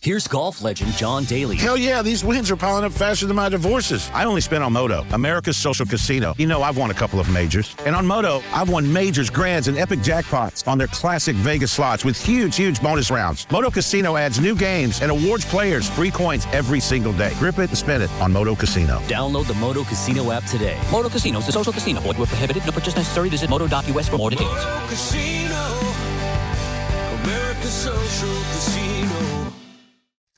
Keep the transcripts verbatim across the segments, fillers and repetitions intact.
Here's golf legend John Daly. Hell yeah, these wins are piling up faster than my divorces. I only spent on Moto, America's social casino. You know, I've won a couple of majors. And on Moto, I've won majors, grands, and epic jackpots on their classic Vegas slots with huge, huge bonus rounds. Moto Casino adds new games and awards players free coins every single day. Grip it and spin it on Moto Casino. Download the Moto Casino app today. Moto Casino is the social casino. Void where prohibited. No purchase necessary. Visit moto dot u s for more details. Moto Casino, America's social casino.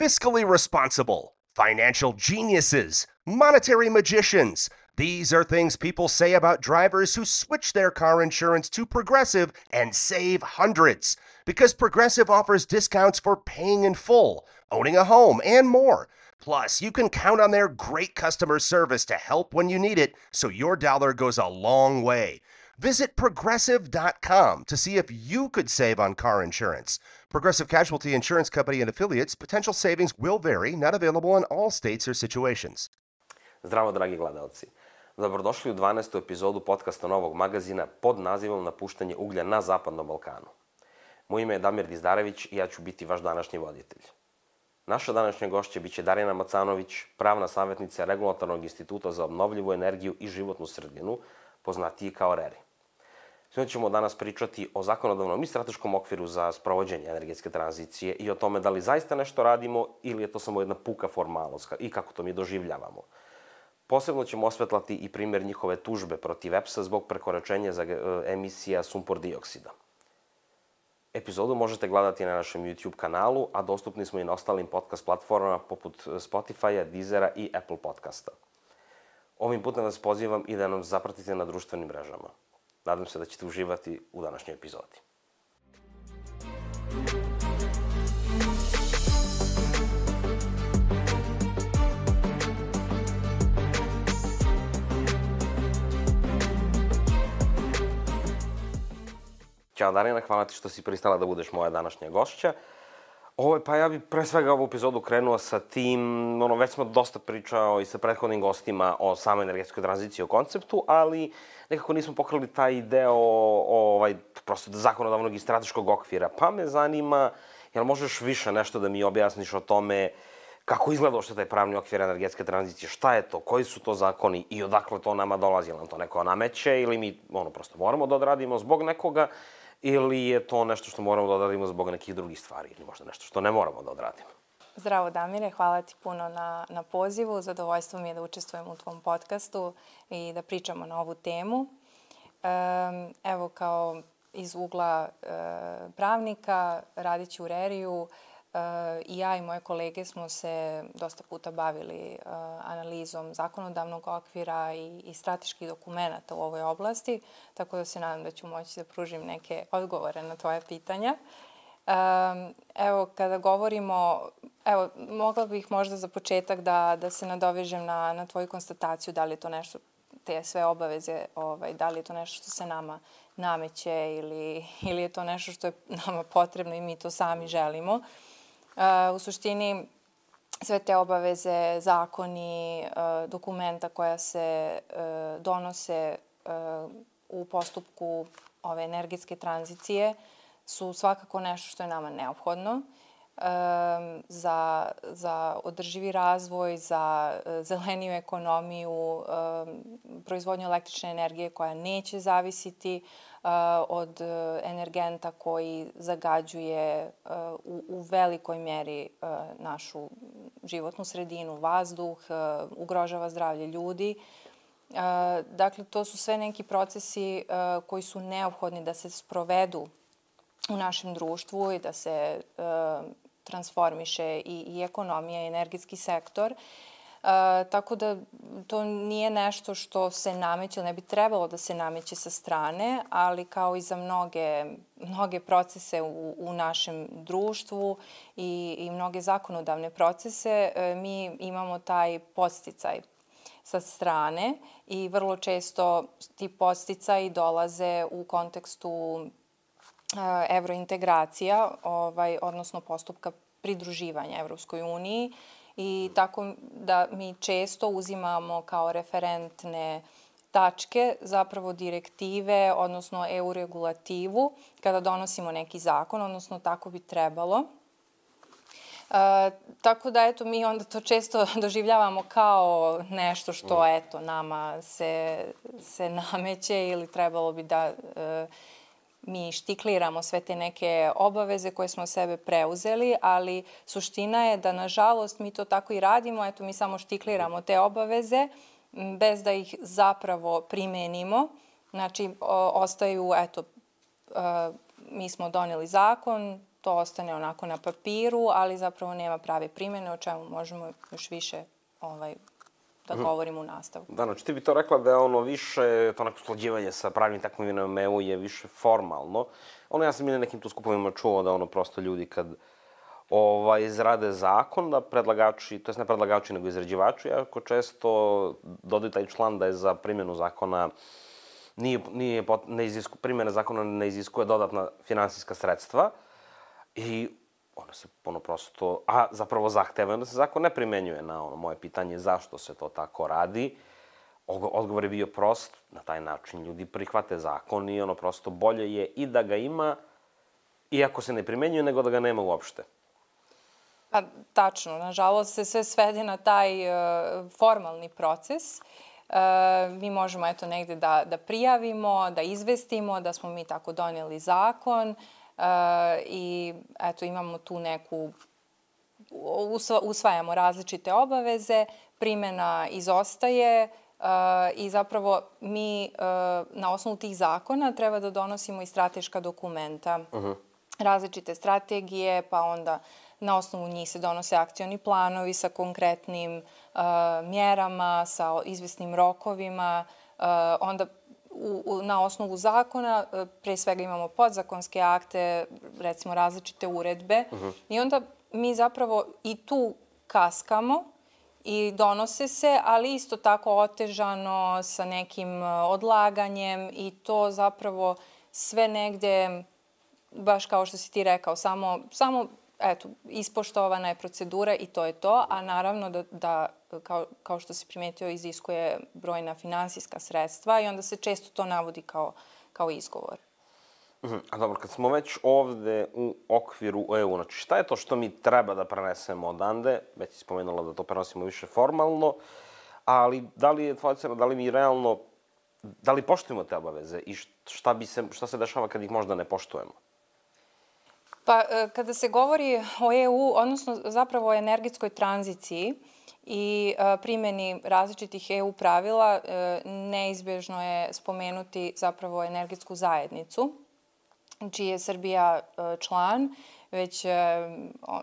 Fiscally responsible, financial geniuses, monetary magicians. These are things people say about drivers who switch their car insurance to Progressive and save hundreds. Because Progressive offers discounts for paying in full, owning a home, and more. Plus, you can count on their great customer service to help when you need it, so your dollar goes a long way. Visit progressive dot com to see if you could save on car insurance. Progressive Casualty Insurance Company and affiliates. Potential savings will vary. Not available in all states or situations. Zdravo, dragi gledalci. Dobrodošli u dvanaestu epizodu podcasta Novog magazina pod nazivom Napuštanje uglja na Zapadnom Balkanu. Moje ime je Damir Dizdarević i ja ću biti vaš današnji voditelj. Naša današnja gošća biće Darjana Macanović, pravna savjetnica Regulatornog instituta za obnovljivu energiju i životnu sredinu, poznatiji kao RERI. S njom ćemo danas pričati o zakonodavnom i strateškom okviru za sprovođenje energetske tranzicije i o tome da li zaista nešto radimo ili je to samo jedna puka formalnost i kako to mi doživljavamo. Posebno ćemo osvetlati i primjer njihove tužbe protiv E P S-a zbog prekoračenja za emisija sumpor dioksida. Epizodu možete gledati na našem YouTube kanalu, a dostupni smo i na ostalim podcast platformama poput Spotify-a, Deezera i Apple podcasta. Ovim putem vas pozivam i da nam zapratite na društvenim mrežama. Nadam se da ćete uživati u današnjoj epizodi. Ćao Darjana, hvala ti što si pristala da budeš moja današnja gošća. Ovo, pa ja bih pre svega ovu epizodu krenuo sa tim, ono, već smo dosta pričao i sa prethodnim gostima o samoj energetskoj tranziciji, o konceptu, ali nekako nismo pokrili taj deo ovaj, prosto zakonodavnog i strateškog okvira. Pa me zanima, jel možeš više nešto da mi objasniš o tome kako izgleda uopšte taj pravni okvir energetske tranzicije, šta je to, koji su to zakoni i odakle to nama dolazi, jel nam to neko nameće ili mi ono, prosto moramo da odradimo zbog nekoga, ili je to nešto što moramo da odradimo zbog nekih drugih stvari ili možda nešto što ne moramo da odradimo? Zdravo Damire, hvala ti puno na, na pozivu. Zadovoljstvo mi je da učestvujem u tvom podcastu i da pričamo na ovu temu. Um, evo, kao iz ugla uh, pravnika, radići u RERI-u, uh, i ja i moje kolege smo se dosta puta bavili uh, analizom zakonodavnog okvira i, i strateških dokumenta u ovoj oblasti, tako da se nadam da ću moći da pružim neke odgovore na tvoje pitanja. Um, evo, kada govorimo, evo, mogla bih možda za početak da, da se nadovežem na, na tvoju konstataciju da li je to nešto, te sve obaveze, ovaj, da li je to nešto što se nama nameće ili, ili je to nešto što je nama potrebno i mi to sami želimo. Uh, u suštini, sve te obaveze, zakoni, uh, dokumenta koja se uh, donose uh, u postupku ove energetske tranzicije su svakako nešto što je nama neophodno um, za, za održivi razvoj, za uh, zeleniju ekonomiju, um, proizvodnju električne energije koja neće zavisiti uh, od uh, energenta koji zagađuje uh, u, u velikoj mjeri uh, našu životnu sredinu, vazduh, uh, ugrožava zdravlje ljudi. Uh, dakle, to su sve neki procesi uh, koji su neophodni da se sprovedu u našem društvu i da se uh, transformiše i, i ekonomija i energetski sektor. Uh, tako da to nije nešto što se nameće, ne bi trebalo da se nameće sa strane, ali kao i za mnoge, mnoge procese u, u našem društvu i, i mnoge zakonodavne procese, uh, mi imamo taj podsticaj sa strane i vrlo često ti podsticaji dolaze u kontekstu evrointegracija, ovaj, odnosno postupka pridruživanja Evropskoj uniji i tako da mi često uzimamo kao referentne tačke zapravo direktive, odnosno E U regulativu kada donosimo neki zakon, odnosno tako bi trebalo. E, tako da, eto, mi onda to često doživljavamo kao nešto što, eto, nama se, se nameće ili trebalo bi da e, mi štikliramo sve te neke obaveze koje smo sebe preuzeli, ali suština je da, nažalost, mi to tako i radimo. Eto, mi samo štikliramo te obaveze bez da ih zapravo primenimo. Znači, o, ostaju, eto, e, mi smo doneli zakon, to ostane onako na papiru, ali zapravo nema prave primjene, o čemu možemo još više ovaj, da govorimo u nastavku. Da, znači ti bi to rekla da je ono više, to neko usklađivanje sa pravnim takvovinama E U je više formalno. Ono, ja sam i na nekim tu skupovima čuo da ono prosto ljudi kad ovaj, izrade zakon, da predlagači, to je ne predlagači nego izrađivači, jako često dodaju taj član da je za primjenu zakona nije, nije, ne izisku, primjena zakona ne iziskuje dodatna finansijska sredstva i ono se ono prosto, a zapravo zahteva da se zakon ne primenjuje. Na ono moje pitanje zašto se to tako radi, odgovor je bio prost, na taj način ljudi prihvate zakon i ono prosto bolje je i da ga ima, iako se ne primenjuje, nego da ga nema uopšte. Pa, tačno. Nažalost se sve svede na taj uh, formalni proces. Uh, mi možemo eto negde da, da prijavimo, da izvestimo da smo mi tako donijeli zakon uh, i eto imamo tu neku, usva, usvajamo različite obaveze, primjena izostaje uh, i zapravo mi uh, na osnovu tih zakona treba da donosimo i strateška dokumenta. Uh-huh. Različite strategije, pa onda na osnovu njih se donose akcioni planovi sa konkretnim uh, mjerama, sa izvesnim rokovima. Uh, onda u, u, na osnovu zakona uh, pre svega imamo podzakonske akte, recimo različite uredbe. Uh-huh. I onda mi zapravo i tu kaskamo i donose se, ali isto tako otežano sa nekim odlaganjem i to zapravo sve negde, baš kao što si ti rekao, samo, samo eto, ispoštovana je procedura i to je to, a naravno da, da kao, kao što si primetio, iziskuje brojna finansijska sredstva i onda se često to navodi kao, kao izgovor. Uh-huh. A dobro, kad smo već ovde u okviru E U, znači šta je to što mi treba da prenesemo odande? Već si spomenula da to prenosimo više formalno, ali da li je tvoja cena, da li mi realno, da li poštujemo te obaveze i šta, bi se, šta se dešava kad ih možda ne poštujemo? Pa, kada se govori o E U, odnosno zapravo o energetskoj tranziciji i primjeni različitih E U pravila, neizbježno je spomenuti zapravo energetsku zajednicu, čiji je Srbija član već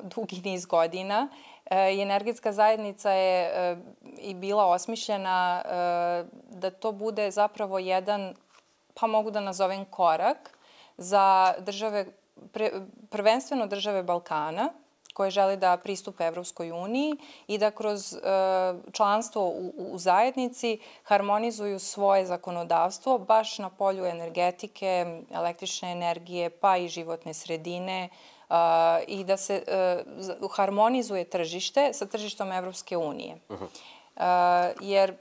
dugi niz godina. I energetska zajednica je i bila osmišljena da to bude zapravo jedan, pa mogu da nazovem korak, za države, pre, prvenstveno države Balkana, koje žele da pristupe Evropskoj uniji i da kroz e, članstvo u, u zajednici harmonizuju svoje zakonodavstvo baš na polju energetike, električne energije, pa i životne sredine e, i da se e, harmonizuje tržište sa tržištom Evropske unije. Uh-huh. e, jer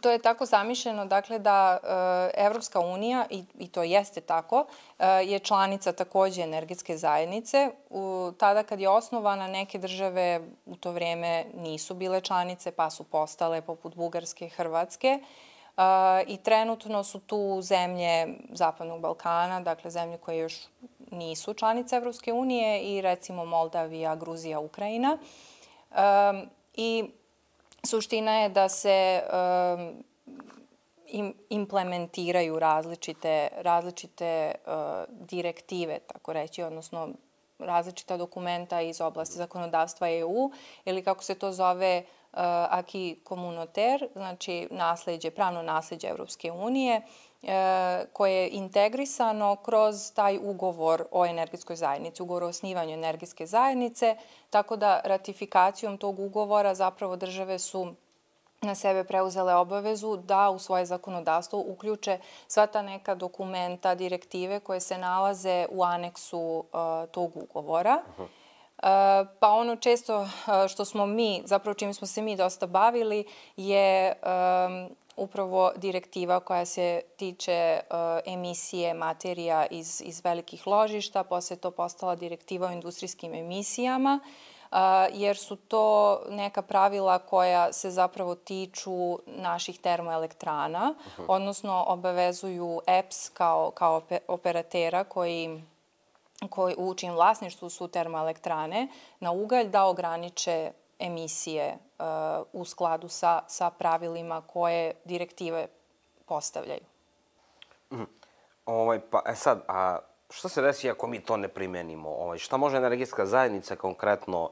to je tako zamišljeno, dakle, da e, Evropska unija, i, i to jeste tako, e, je članica takođe energetske zajednice. U, tada kad je osnovana, neke države u to vrijeme nisu bile članice, pa su postale, poput Bugarske, Hrvatske. E, I trenutno su tu zemlje Zapadnog Balkana, dakle, zemlje koje još nisu članice Evropske unije i recimo Moldavija, Gruzija, Ukrajina. E, I suština je da se um, im, implementiraju različite, različite uh, direktive, tako reći, odnosno različita dokumenta iz oblasti zakonodavstva E U ili kako se to zove uh, acquis communautaire, znači nasleđe, pravno nasleđe Evropske unije, koje je integrisano kroz taj ugovor o energetskoj zajednici, ugovor o osnivanju energetske zajednice, tako da ratifikacijom tog ugovora zapravo države su na sebe preuzele obavezu da u svoje zakonodavstvo uključe sva ta neka dokumenta, direktive koje se nalaze u aneksu uh, tog ugovora. Uh-huh. Uh, pa ono često uh, što smo mi, zapravo čime smo se mi dosta bavili, je um, upravo direktiva koja se tiče uh, emisije materija iz, iz velikih ložišta, posle to postala direktiva o industrijskim emisijama, jer su to neka pravila koja se zapravo tiču naših termoelektrana, odnosno obavezuju E P S kao, kao operatera koji, koji u čijem vlasništvu su termoelektrane na ugalj da ograniče emisije uh, u skladu sa, sa pravilima koje direktive postavljaju. Mm. Ovaj, pa, e sad, a šta se desi ako mi to ne primenimo? Ovaj, šta može energetska zajednica konkretno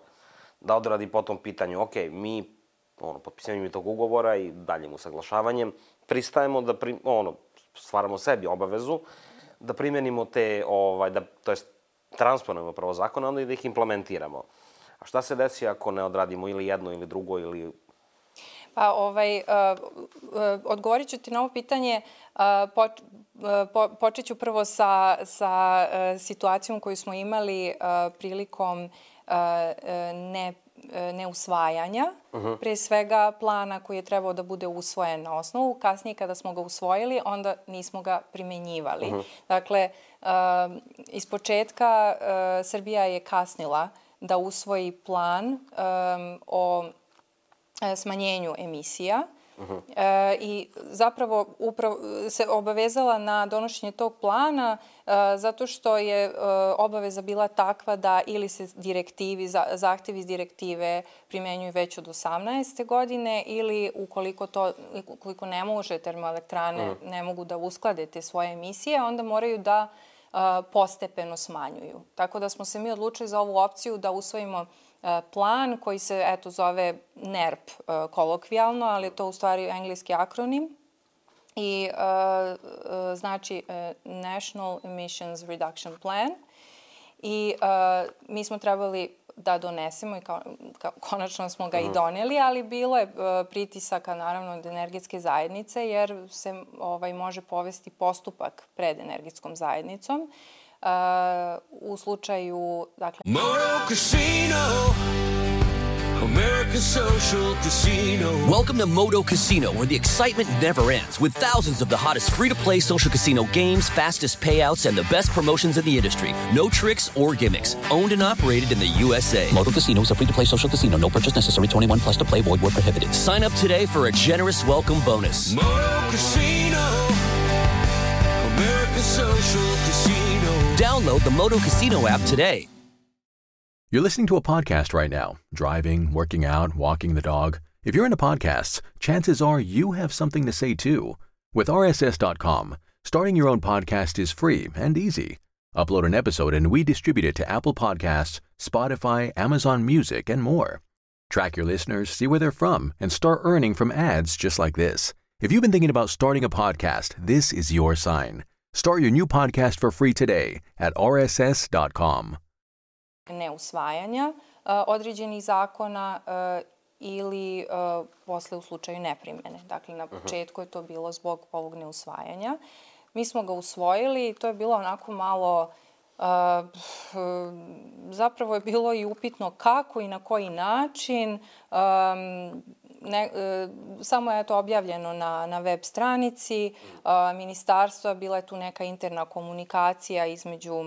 da odradi po tom pitanju? Ok, mi ono, potpisivanjem tog ugovora i daljim usaglašavanjem pristajemo da pri, ono, stvaramo sebi obavezu da primenimo te, ovaj, da, to jest transponujemo prvo zakone, onda i da ih implementiramo. A šta se desi ako ne odradimo ili jedno ili drugo ili... Pa, ovaj, uh, uh, odgovorit ću ti na ovo pitanje. Uh, po, po, počet ću prvo sa, sa uh, situacijom koju smo imali uh, prilikom uh, ne, neusvajanja. Uh-huh. Pre svega plana koji je trebao da bude usvojen na osnovu. Kasnije kada smo ga usvojili, onda nismo ga primenjivali. Uh-huh. Dakle, uh, iz početka uh, Srbija je kasnila da usvoji plan um, o smanjenju emisija uh-huh. e, i zapravo upravo se obavezala na donošenje tog plana e, zato što je e, obaveza bila takva da ili se direktivi, za, zahtevi iz direktive primenjuju već od osamnaeste godine ili ukoliko, to, ukoliko ne može termoelektrane, uh-huh. ne mogu da usklade te svoje emisije, onda moraju da a, postepeno smanjuju. Tako da smo se mi odlučili za ovu opciju da usvojimo plan koji se, eto, zove N E R P kolokvijalno, ali je to u stvari engleski akronim i uh, uh, znači uh, National Emissions Reduction Plan. I uh, mi smo trebali da donesemo i kao, kao, konačno smo ga mm. i doneli, ali bilo je uh, pritisaka naravno od energetske zajednice jer se ovaj, može povesti postupak pred energetskom zajednicom. Uh, u slučaju, dakle... Moto Casino, America's social casino. Welcome to Moto Casino, where the excitement never ends, with thousands of the hottest free-to-play social casino games, fastest payouts, and the best promotions in the industry. No tricks or gimmicks. Owned and operated in the U S A. Moto Casino is a free-to-play social casino. No purchase necessary. twenty-one plus to play. Void where prohibited. Sign up today for a generous welcome bonus. Moto Casino, America's social casino. Download the Moto Casino app today. You're listening to a podcast right now, driving, working out, walking the dog. If you're into podcasts, chances are you have something to say too. With R S S dot com, starting your own podcast is free and easy. Upload an episode and we distribute it to Apple Podcasts, Spotify, Amazon Music, and more. Track your listeners, see where they're from, and start earning from ads just like this. If you've been thinking about starting a podcast, this is your sign. Start your new podcast for free today at R S S dot com. Neusvajanja uh, određenih zakona uh, ili uh, posle u slučaju neprimene. Dakle, na početku je to bilo zbog ovog neusvajanja. Mi smo ga usvojili i to je bilo onako malo... Uh, zapravo je bilo i upitno kako i na koji način. Um, ne, uh, samo je to objavljeno na, na web stranici uh, ministarstva. Bila je tu neka interna komunikacija između,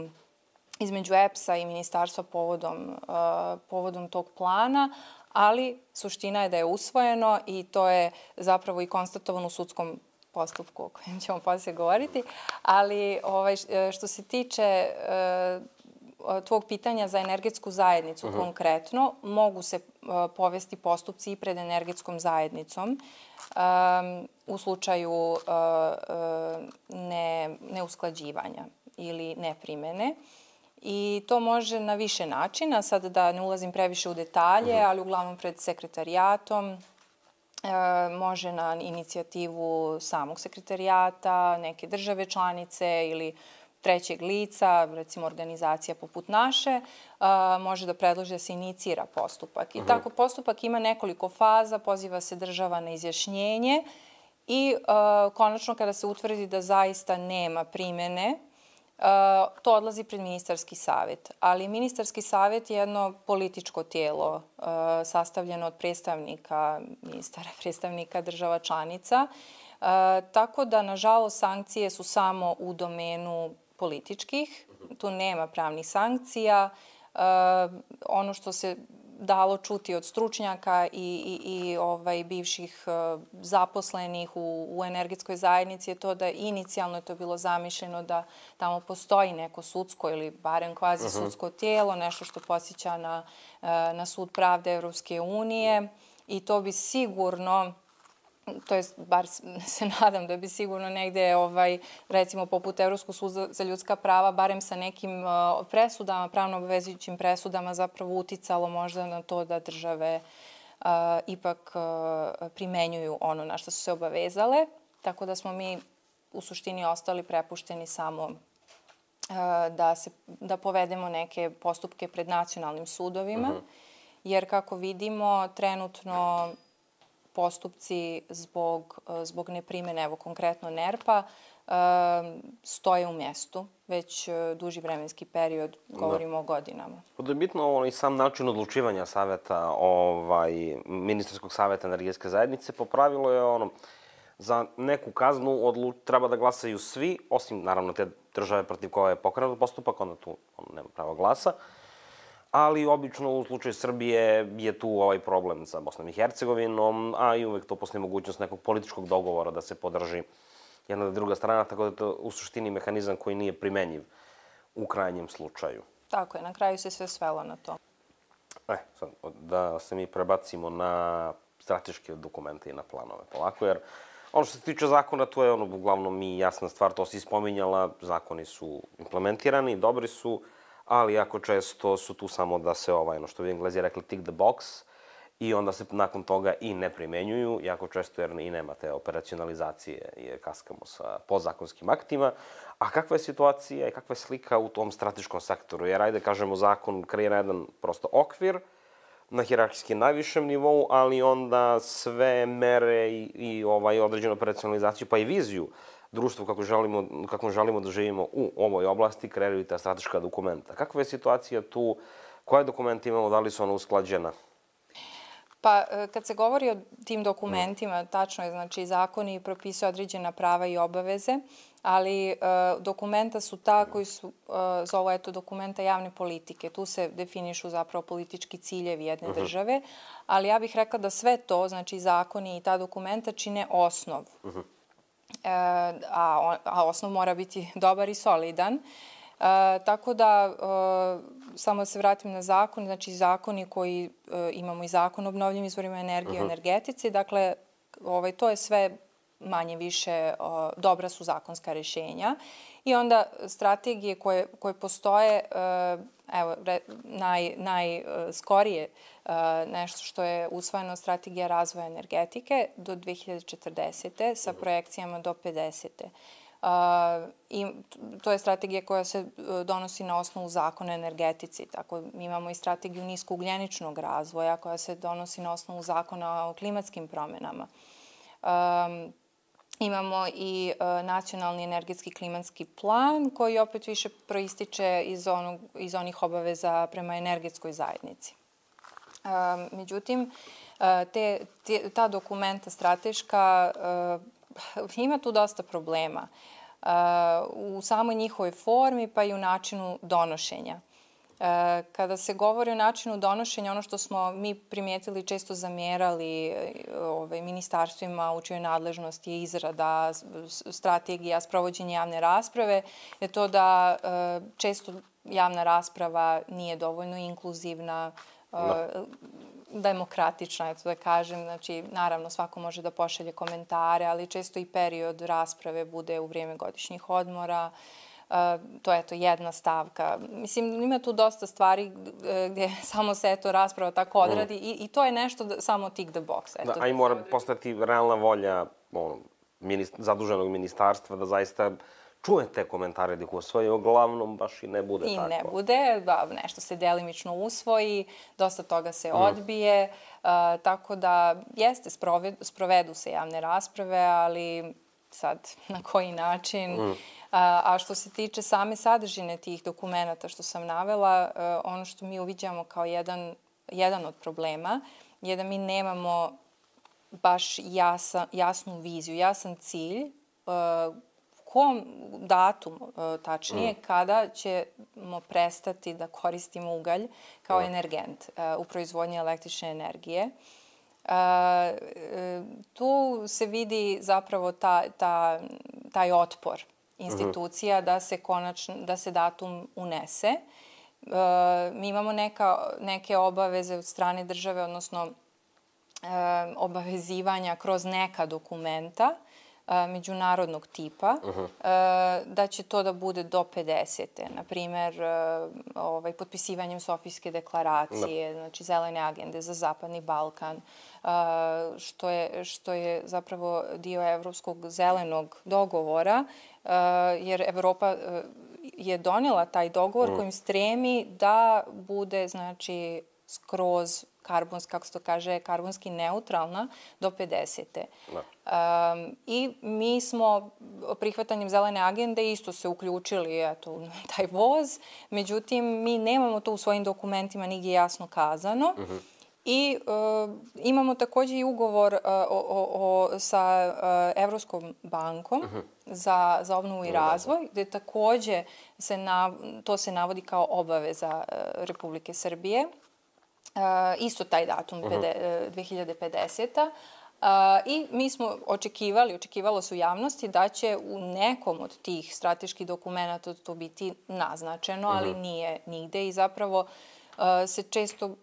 između E P S-a i ministarstva povodom, uh, povodom tog plana, ali suština je da je usvojeno i to je zapravo i konstatovano u sudskom postupku o kojem ćemo poslije govoriti, ali ovaj, što se tiče uh, tvog pitanja za energetsku zajednicu uh-huh. konkretno, mogu se uh, povesti postupci i pred energetskom zajednicom um, u slučaju uh, uh, ne, neusklađivanja ili neprimene. I to može na više načina, sad da ne ulazim previše u detalje, uh-huh. ali uglavnom pred sekretarijatom, E, može na inicijativu samog sekretarijata, neke države članice ili trećeg lica, recimo organizacija poput naše, e, može da predloži da se inicira postupak. I uh-huh. tako postupak ima nekoliko faza, poziva se država na izjašnjenje i e, konačno kada se utvrdi da zaista nema primene, Uh, to odlazi pred ministarski savjet. Ali ministarski savjet je jedno političko tijelo uh, sastavljeno od predstavnika ministara, predstavnika država članica. Uh, tako da, nažalost, sankcije su samo u domenu političkih. Tu nema pravnih sankcija. Uh, ono što se dalo čuti od stručnjaka i, i, i ovaj, bivših uh, zaposlenih u, u energetskoj zajednici je to da inicijalno je to bilo zamišljeno da tamo postoji neko sudsko ili barem kvazi sudsko uh-huh. tijelo, nešto što podsjeća na, uh, na sud pravde Evropske unije i to bi sigurno, to jest, bar se nadam da bi sigurno negde, ovaj, recimo poput Evropskog suda za ljudska prava, barem sa nekim uh, presudama, pravno obavezujućim presudama zapravo uticalo možda na to da države uh, ipak uh, primenjuju ono na što su se obavezale. Tako da smo mi u suštini ostali prepušteni samo uh, da, se, da povedemo neke postupke pred nacionalnim sudovima, uh-huh. jer kako vidimo trenutno postupci zbog, zbog neprimene, evo konkretno NERP-a, stoje u mjestu već duži vremenski period, govorimo da. o godinama. Da je bitno i sam način odlučivanja saveta, ovaj, ministarskog saveta energetske zajednice, po pravilu je ono, za neku kaznu odlu, treba da glasaju svi, osim naravno te države protiv koje je pokrenut postupak, onda tu on nema pravo glasa. Ali obično u slučaju Srbije je tu ovaj problem sa Bosnom i Hercegovinom, a i uvek to postoji mogućnost nekog političkog dogovora da se podrži jedna ili druga strana, tako da je to u suštini mehanizam koji nije primenjiv u krajnjem slučaju. Tako je, na kraju se sve svelo na to. E, sad, da se mi prebacimo na strateške dokumente i na planove polako, jer ono što se tiče zakona, to je ono uglavnom i jasna stvar, to si spominjala, zakoni su implementirani, dobri su, ali jako često su tu samo da se, ovaj, ono što bi Englezi rekli, tick the box, i onda se nakon toga i ne primenjuju, jako često jer i nema te operacionalizacije i kaskamo sa podzakonskim aktima. A kakva je situacija i kakva je slika u tom strateškom sektoru? Jer, ajde, kažemo, zakon kreira jedan prosto okvir na hijerarhijski najvišem nivou, ali onda sve mere i, i ovaj, određenu operacionalizaciju, pa i viziju društvu kako želimo, kako želimo da živimo u ovoj oblasti, kreiraju ta strateška dokumenta. Kakva je situacija tu? Koje dokumenti imamo? Da li su ona usklađena? Pa, kad se govori o tim dokumentima, tačno je, znači, zakoni propisuju određena prava i obaveze, ali e, dokumenta su ta koji su, e, zovu, eto, dokumenta javne politike. Tu se definišu zapravo politički ciljevi jedne uh-huh. države, ali ja bih rekla da sve to, znači, zakoni i ta dokumenta čine osnov. Uh-huh. E, a, a osnov mora biti dobar i solidan. E, tako da, e, samo da se vratim na zakon, znači zakoni koji e, imamo i zakon o obnovljivim izvorima energije, uh-huh. energetici, dakle, ovaj, to je sve manje više o, dobra su zakonska rješenja. I onda strategije koje, koje postoje, e, evo, re, naj, najskorije e, nešto što je usvojeno strategija razvoja energetike do dve hiljade četrdesete sa projekcijama do pedesete. Uh, i to je strategija koja se donosi na osnovu zakona o energetici. Tako mi imamo i strategiju niskougljeničnog razvoja koja se donosi na osnovu zakona o klimatskim promjenama. Um, imamo i uh, nacionalni energetski klimatski plan koji opet više proističe iz, onog, iz onih obaveza prema energetskoj zajednici. Um, međutim, uh, te, te, ta dokumenta strateška uh, ima tu dosta problema uh, u samoj njihovoj formi pa i u načinu donošenja. Uh, kada se govori o načinu donošenja, ono što smo mi primijetili često zamjerali ovaj, ministarstvima u čijoj nadležnosti je izrada strategija, sprovođenje javne rasprave, je to da uh, često javna rasprava nije dovoljno inkluzivna, uh, no. demokratična, eto da kažem. Znači, naravno, svako može da pošalje komentare, ali često i period rasprave bude u vrijeme godišnjih odmora. Uh, to je to jedna stavka. Mislim, ima tu dosta stvari gdje samo se eto rasprava tako odradi mm. i, i to je nešto da, samo tick the box. Eto, da, a i mora postati realna volja ono, minist, zaduženog ministarstva da zaista čuje te komentare da ih usvoji, uglavnom baš i ne bude I tako. I ne bude, da, nešto se delimično usvoji, dosta toga se mm. odbije, uh, tako da jeste, sprovedu, sprovedu se javne rasprave, ali sad na koji način. Mm. Uh, a što se tiče same sadržine tih dokumenta što sam navela, uh, ono što mi uviđamo kao jedan, jedan od problema je da mi nemamo baš jasa, jasnu viziju, jasan cilj uh, kom datum, tačnije, mm. kada ćemo prestati da koristimo ugalj kao mm. energent u proizvodnji električne energije. Tu se vidi zapravo ta, ta, taj otpor institucija da se konačno, da se datum unese. Mi imamo neka, neke obaveze od strane države, odnosno obavezivanja kroz neka dokumenta međunarodnog tipa, uh-huh. da će to da bude do pedesete. Naprimer, ovaj, potpisivanjem Sofijske deklaracije, no. znači zelene agende za Zapadni Balkan, što je, što je zapravo dio Evropskog zelenog dogovora, jer Evropa je donela taj dogovor uh-huh. kojim stremi da bude, znači, skroz karbonski, kako se to kaže, karbonski neutralna do pedesete. No. Um, I mi smo prihvatanjem zelene agende isto se uključili eto, u taj voz, međutim mi nemamo to u svojim dokumentima nigdje jasno kazano. Uh-huh. I uh, imamo takođe i ugovor uh, o, o, o, sa uh, Evropskom bankom uh-huh. za, za obnovu i razvoj, gde takođe se nav, to se navodi kao obaveza uh, Republike Srbije. Uh, isto taj datum, uh-huh. dve hiljade pedesete. Uh, I mi smo očekivali, očekivalo se u javnosti da će u nekom od tih strateških dokumenta to biti naznačeno, uh-huh. ali nije nigde i zapravo uh, se često uh,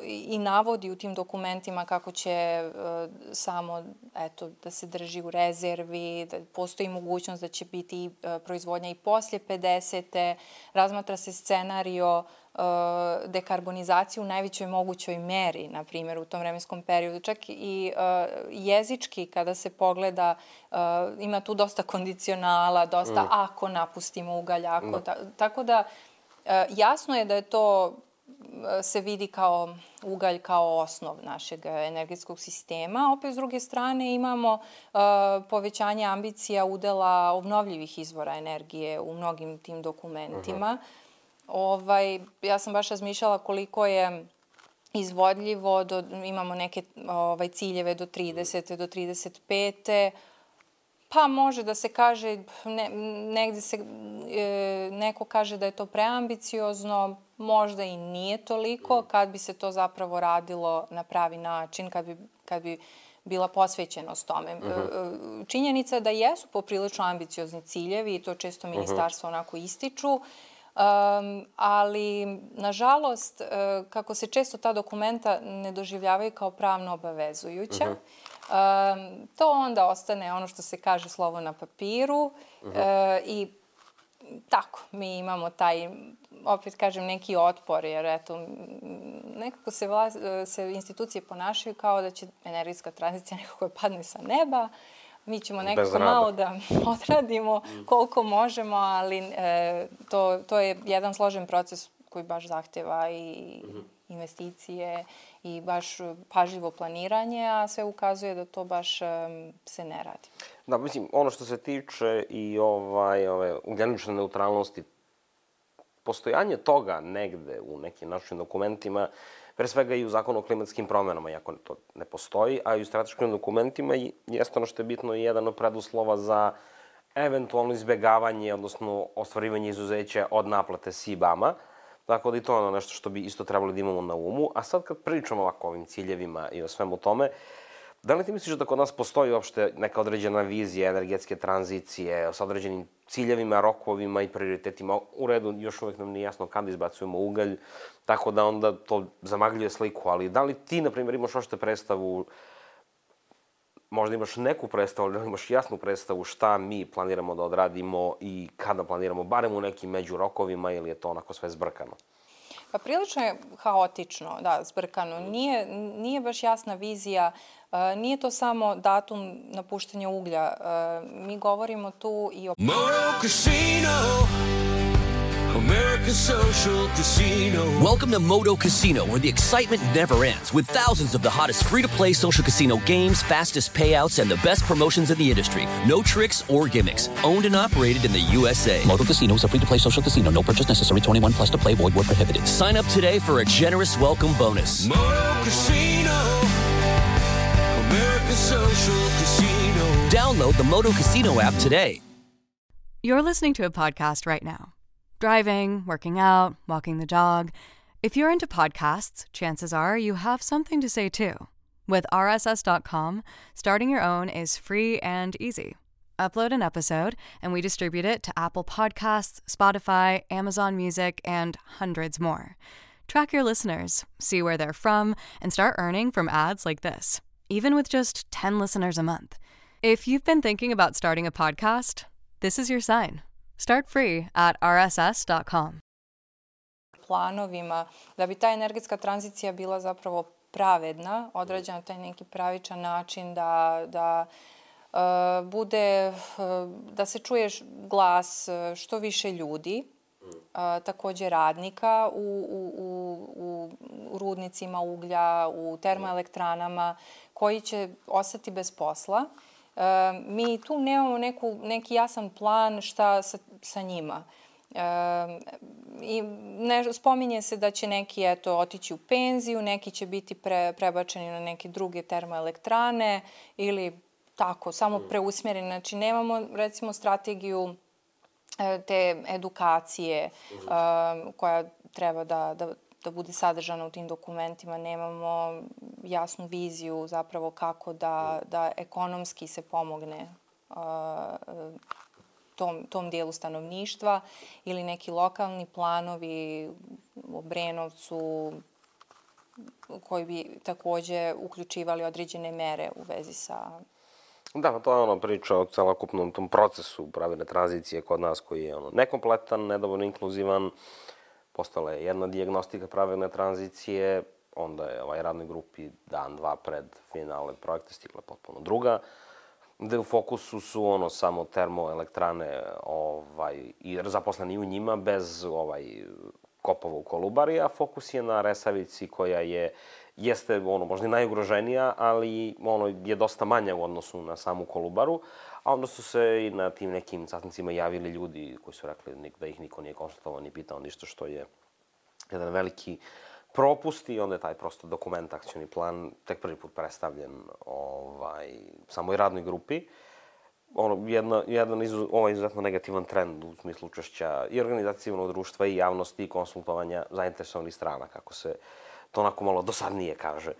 i navodi u tim dokumentima kako će uh, samo eto, da se drži u rezervi, da postoji mogućnost da će biti uh, proizvodnja i poslije pedesete, razmatra se scenario dekarbonizaciju u najvećoj mogućoj meri, na primjer, u tom vremenskom periodu. Čak i uh, jezički, kada se pogleda, uh, ima tu dosta kondicionala, dosta mm. ako napustimo ugalj, ako. No. Ta, tako da, uh, jasno je da je to, uh, se vidi kao ugalj kao osnov našeg energetskog sistema. Opet, s druge strane, imamo uh, povećanje ambicija udela obnovljivih izvora energije u mnogim tim dokumentima. Uh-huh. Ovaj, ja sam baš razmišljala koliko je izvodljivo, do, imamo neke ovaj, ciljeve do tridesete, do trideset pete. Pa može da se kaže, ne, negde se, e, neko kaže da je to preambiciozno, možda i nije toliko, kad bi se to zapravo radilo na pravi način, kad bi, kad bi bila posvećenost tome. Uh-huh. Činjenica da jesu poprilično ambiciozni ciljevi i to često ministarstvo uh-huh. onako ističu, Um, ali, nažalost, uh, kako se često ta dokumenta ne doživljavaju kao pravno obavezujuća, uh-huh. um, to onda ostane ono što se kaže slovo na papiru uh-huh. uh, i tako, mi imamo taj, opet kažem, neki otpor, jer eto, nekako se, vlas, se institucije ponašaju kao da će energetska tranzicija nekako padne sa neba. Mi ćemo nekako malo da odradimo koliko možemo, ali e, to, to je jedan složen proces koji baš zahteva i investicije i baš pažljivo planiranje, a sve ukazuje da to baš e, se ne radi. Da, mislim, ono što se tiče i ovaj, ove ugljenične neutralnosti, postojanje toga negde u nekim našim dokumentima, pre svega i u zakonu o klimatskim promenama, iako to ne postoji, a i u strateškim dokumentima jeste ono što je bitno i jedan od preduslova za eventualno izbegavanje, odnosno ostvarivanje izuzeća od naplate S I B A-ma. Tako da i to je ono nešto što bi isto trebalo da imamo na umu. A sad kad pričamo ovako o ovim ciljevima i o svemu tome, da li ti misliš da kod nas postoji uopšte neka određena vizija energetske tranzicije sa određenim ciljevima, rokovima i prioritetima? U redu, još uvek nam nije jasno kada izbacujemo ugalj, tako da onda to zamagljuje sliku, ali da li ti, na primjer, imaš ošte predstavu, možda imaš neku predstavu, ali imaš jasnu predstavu šta mi planiramo da odradimo i kada planiramo, barem u nekim među rokovima, ili je to onako sve zbrkano? Pa prilično je haotično, da, zbrkano. Nije, nije baš jasna vizija, uh, nije to samo datum napuštanja uglja. Uh, mi govorimo tu i o... Moto Casino, America's social casino. Welcome to Moto Casino, where the excitement never ends, with thousands of the hottest free-to-play social casino games, fastest payouts, and the best promotions in the industry. No tricks or gimmicks. Owned and operated in the U S A. Moto Casino is a free-to-play social casino. No purchase necessary. twenty-one plus to play. Void where prohibited. Sign up today for a generous welcome bonus. Moto Casino, America's social casino. Download the Moto Casino app today. You're listening to a podcast right now. Driving, working out, walking the dog. If you're into podcasts, chances are you have something to say too. With R S S dot com, starting your own is free and easy. Upload an episode, and we distribute it to Apple Podcasts, Spotify, Amazon Music, and hundreds more. Track your listeners, see where they're from, and start earning from ads like this, even with just ten listeners a month. If you've been thinking about starting a podcast, this is your sign. Start free at R S S dot com. Planovima, da bi ta energetska tranzicija bila zapravo pravedna, odrađena na taj neki pravičan način da, da uh, bude, uh, da se čuje glas što više ljudi, uh, takođe radnika u, u, u, u rudnicima uglja, u termoelektranama, koji će ostati bez posla. Uh, mi tu nemamo neku, neki jasan plan šta sa, sa njima. Uh, i ne, spominje se da će neki eto, otići u penziju, neki će biti pre, prebačeni na neke druge termoelektrane ili tako, samo preusmjereni. Znači, nemamo recimo strategiju te edukacije uh, koja treba da, da, da bude sadržana u tim dokumentima. Nemamo jasnu viziju zapravo kako da, da ekonomski se pomogne uh, tom, tom dijelu stanovništva ili neki lokalni planovi u Obrenovcu koji bi takođe uključivali određene mere u vezi sa... Da, to je ono priča o celokupnom tom procesu pravilne tranzicije kod nas koji je ono nekompletan, nedovoljno inkluzivan. Postala je jedna dijagnostika pravilne tranzicije, onda je ovaj radnoj grupi dan, dva pred finale projekta stigla potpuno druga, gde u fokusu su ono samo termoelektrane ovaj, i zaposleni u njima bez ovaj, kopova u Kolubari, a fokus je na Resavici koja je, jeste ono, možda i najugroženija, ali ono, je dosta manja u odnosu na samu Kolubaru, a onda su se i na tim nekim sastancima javili ljudi koji su rekli da ih niko nije konsultovao ni pitao ništa, što je jedan veliki propust i onda je taj prosto dokument, akcioni plan, tek prvi put predstavljen ovaj, samoj radnoj grupi. Ono, jedna, jedan izu, ovaj izuzetno negativan trend u smislu učešća i organizacije civilnog društva i javnosti i konsultovanja zainteresovanih strana, kako se to onako malo dosadnije kaže.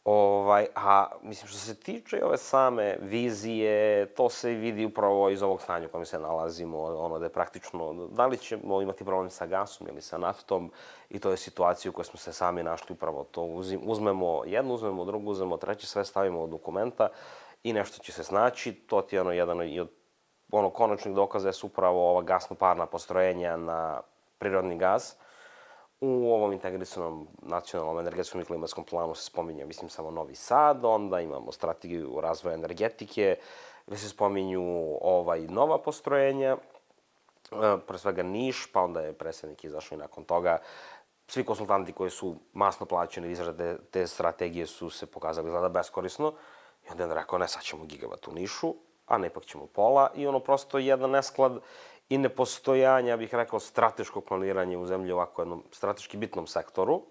Ovaj, a mislim, što se tiče ove same vizije, to se vidi upravo iz ovog stanja u kojem se nalazimo, ono da je praktično, da li ćemo imati problem sa gasom ili sa naftom, i to je situacija u kojoj smo se sami našli upravo to. Uzmemo jednu, uzmemo drugu, uzmemo treće, sve stavimo u dokumenta i nešto će se snaći. To ti je ono jedan od ono, konačnih dokaza su upravo ova gasno-parna postrojenja na prirodni gaz. U ovom integrisanom nacionalnom energetskom i klimatskom planu se spominje, mislim, samo Novi Sad, onda imamo strategiju razvoja energetike, gde se spominju ovaj, nova postrojenja, pre svega Niš, pa onda je predsjednik izašao i nakon toga. Svi konsultanti koji su masno plaćeni izrade te strategije su se pokazali izgleda beskorisno i onda je rekao, ne, sad ćemo gigavat u Nišu, a ne ipak ćemo pola, i ono prosto jedan nesklad i nepostojanja, ja bih rekao, strateškog planiranja u zemlji u ovako jednom strateški bitnom sektoru.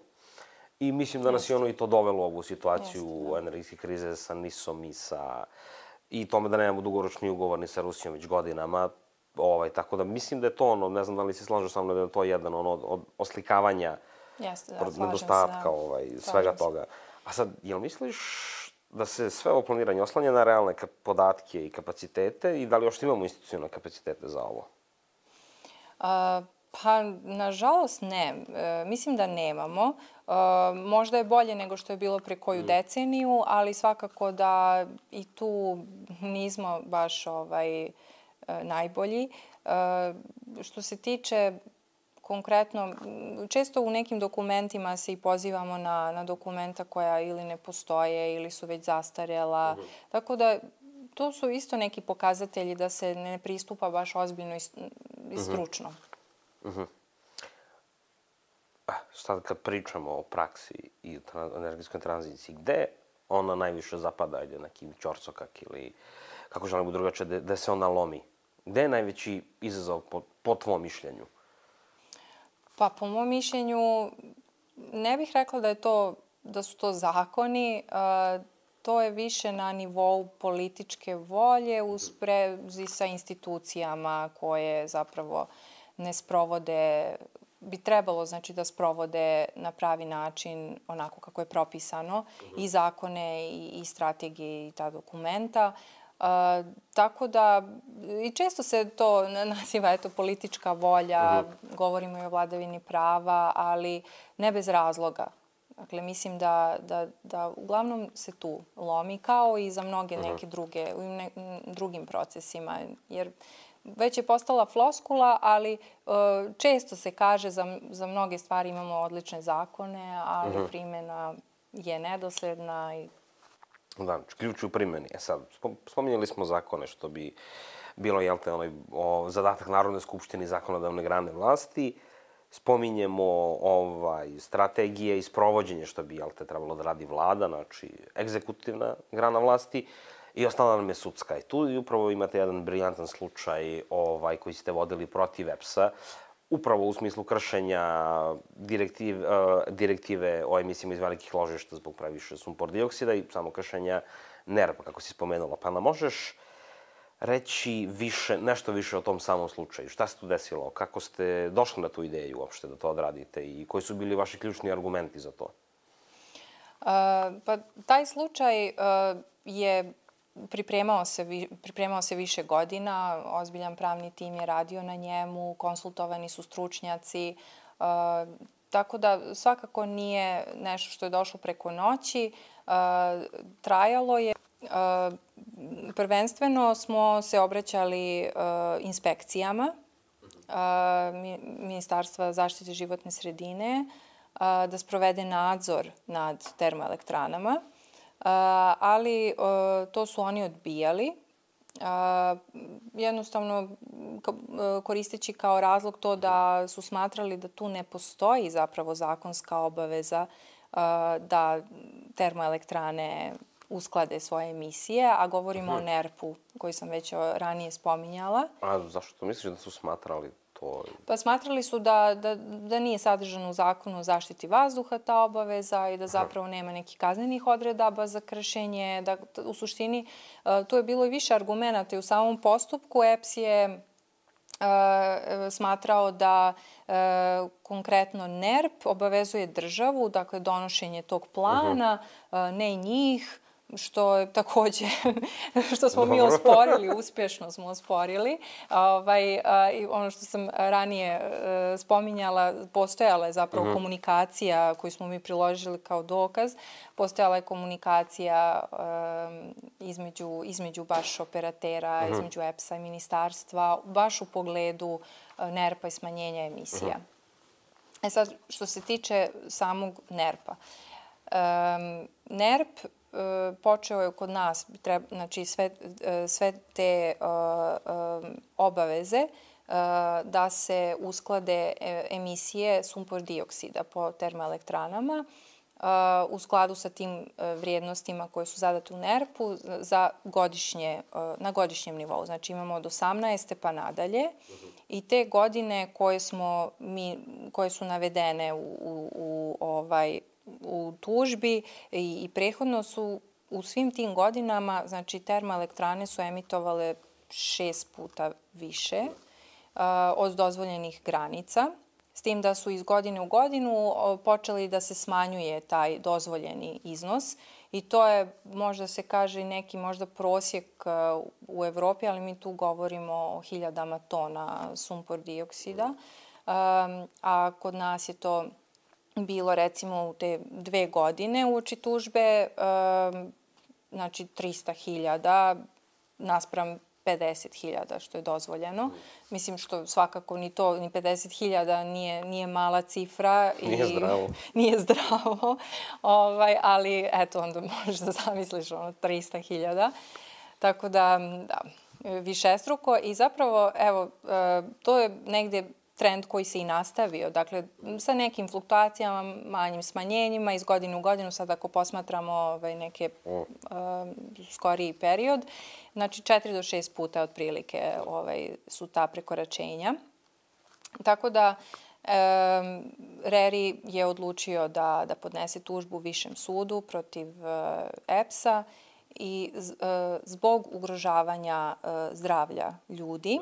I mislim da nas je ono i to dovelo u ovu situaciju energetske krize sa Nisom i sa... i tome da nemamo dugoročni ugovor ni sa Rusijom već godinama. Ovaj, tako da mislim da je to ono, ne znam da li se slažu sa mnom, da je to jedan ono od oslikavanja Jeste, da, nedostatka se, da. ovaj, svega toga. A sad, jel misliš da se sve ovo planiranje oslanja na realne podatke i kapacitete i da li još imamo institucionalne kapacitete za ovo? Uh, pa, nažalost, ne. E, mislim da nemamo. E, možda je bolje nego što je bilo pre koju mm. deceniju, ali svakako da i tu nismo baš ovaj, e, najbolji. E, što se tiče konkretno, često u nekim dokumentima se i pozivamo na, na dokumenta koja ili ne postoje ili su već zastarjela. Mm. Tako da to su isto neki pokazatelji da se ne pristupa baš ozbiljno i, i stručno. Mm-hmm. Sad kad pričamo o praksi i o energetskoj tranziciji, gde ona najviše zapada, ide neki ćorsokak ili kako želimo drugačije, da, da se ona lomi? Gde je najveći izazov po, po tvom mišljenju? Pa po mom mišljenju ne bih rekla da je to, da su to zakoni. to je više na nivou političke volje u sprezi sa institucijama koje zapravo ne sprovode, bi trebalo znači da sprovode na pravi način onako kako je propisano i zakone i, i strategije i ta dokumenta. Uh, tako da, i često se to naziva eto, politička volja, uh-huh. govorimo i o vladavini prava, ali ne bez razloga. Dakle, mislim da, da, da uglavnom se tu lomi, kao i za mnoge neke druge, u ne, drugim procesima, jer već je postala floskula, ali uh, često se kaže za, za mnoge stvari imamo odlične zakone, ali uh-huh. primjena je nedosledna i da, ključ u primjeni. E sad, spominjali smo zakone, što bi bilo, jel te, onaj, o, zadatak Narodne skupštine i zakonodavne grane vlasti. Spominjemo ovaj, strategije i sprovođenje, što bi, jel te, trebalo da radi vlada, znači egzekutivna grana vlasti. I ostala nam je sudska. I tu i upravo imate jedan briljantan slučaj ovaj, koji ste vodili protiv E P S-a, upravo u smislu kršenja direktiv, uh, direktive o emisijama iz velikih ložišta zbog previše sumpor dioksida i samo kršenja N E R P-a, kako si spomenula. Pa nam možeš reći više, nešto više o tom samom slučaju? Šta se tu desilo? Kako ste došli na tu ideju uopšte da to odradite i koji su bili vaši ključni argumenti za to? Uh, pa taj slučaj uh, je Pripremao se, pripremao se više godina, ozbiljan pravni tim je radio na njemu, konsultovani su stručnjaci, uh, tako da svakako nije nešto što je došlo preko noći. Uh, trajalo je. Uh, prvenstveno smo se obraćali uh, inspekcijama uh, Ministarstva zaštite životne sredine uh, da sprovede nadzor nad termoelektranama. Uh, ali uh, to su oni odbijali, uh, jednostavno koristeći kao razlog to da su smatrali da tu ne postoji zapravo zakonska obaveza uh, da termoelektrane usklade svoje emisije, a govorimo uh-huh. o N E R P-u koji sam već ranije spominjala. A zašto misliš da su smatrali to? Pa smatrali su da, da, da nije sadržano u zakonu o zaštiti vazduha ta obaveza i da zapravo nema nekih kaznenih odredaba za kršenje. Da, u suštini, tu je bilo i više argumenata i u samom postupku. E P S je uh, smatrao da uh, konkretno N E R P obavezuje državu, dakle donošenje tog plana, uh-huh. uh, ne njih, što je takođe, što smo mi osporili, uspješno smo osporili. Ovaj, i ono što sam ranije spominjala, postojala je zapravo uh-huh. komunikacija koju smo mi priložili kao dokaz. Postojala je komunikacija um, između, između baš operatera, uh-huh. između E P S-a i ministarstva, baš u pogledu N E R P-a i smanjenja emisija. Uh-huh. E sad, što se tiče samog N E R P-a. Um, N E R P počeo je kod nas, treba, znači sve, sve te uh, um, obaveze uh, da se usklade emisije sumpor dioksida po termoelektranama uh, u skladu sa tim uh, vrijednostima koje su zadate u N E R P-u za godišnje, uh, na godišnjem nivou. Znači imamo od osamnaeste pa nadalje i te godine koje, smo mi, koje su navedene u, u, u ovaj u tužbi i, i prethodno su u svim tim godinama, znači termoelektrane su emitovale šest puta više uh, od dozvoljenih granica, s tim da su iz godine u godinu počeli da se smanjuje taj dozvoljeni iznos i to je, možda se kaže, neki možda prosjek uh, u Evropi, ali mi tu govorimo o hiljadama tona sumpor dioksida, um, a kod nas je to bilo recimo u te dve godine uoči tužbe, um, znači trista hiljada naspram pedeset hiljada što je dozvoljeno. Mislim što svakako ni to, ni pedeset hiljada nije, nije mala cifra. Nije i, zdravo. Nije zdravo, ovaj, ali eto onda možeš da zamisliš ono trista hiljada. Tako da, da, višestruko i zapravo, evo, to je negdje trend koji se i nastavio. Dakle, sa nekim fluktuacijama, manjim smanjenjima iz godine u godinu, sad ako posmatramo ovaj, neke uh, skoriji period, znači četiri do šest puta otprilike ovaj, su ta prekoračenja. Tako da Reri je odlučio da, da podnese tužbu Višem sudu protiv E P S-a i zbog ugrožavanja zdravlja ljudi,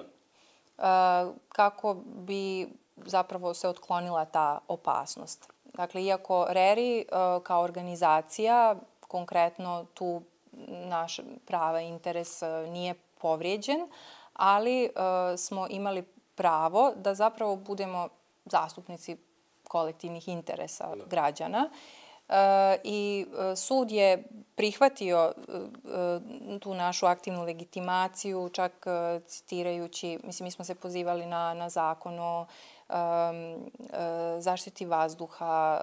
kako bi zapravo se otklonila ta opasnost. Dakle, iako Reri kao organizacija, konkretno tu naš prava interes nije povrijeđen, ali smo imali pravo da zapravo budemo zastupnici kolektivnih interesa građana. I sud je prihvatio tu našu aktivnu legitimaciju, čak citirajući, mislim, mi smo se pozivali na, na zakon o zaštiti vazduha,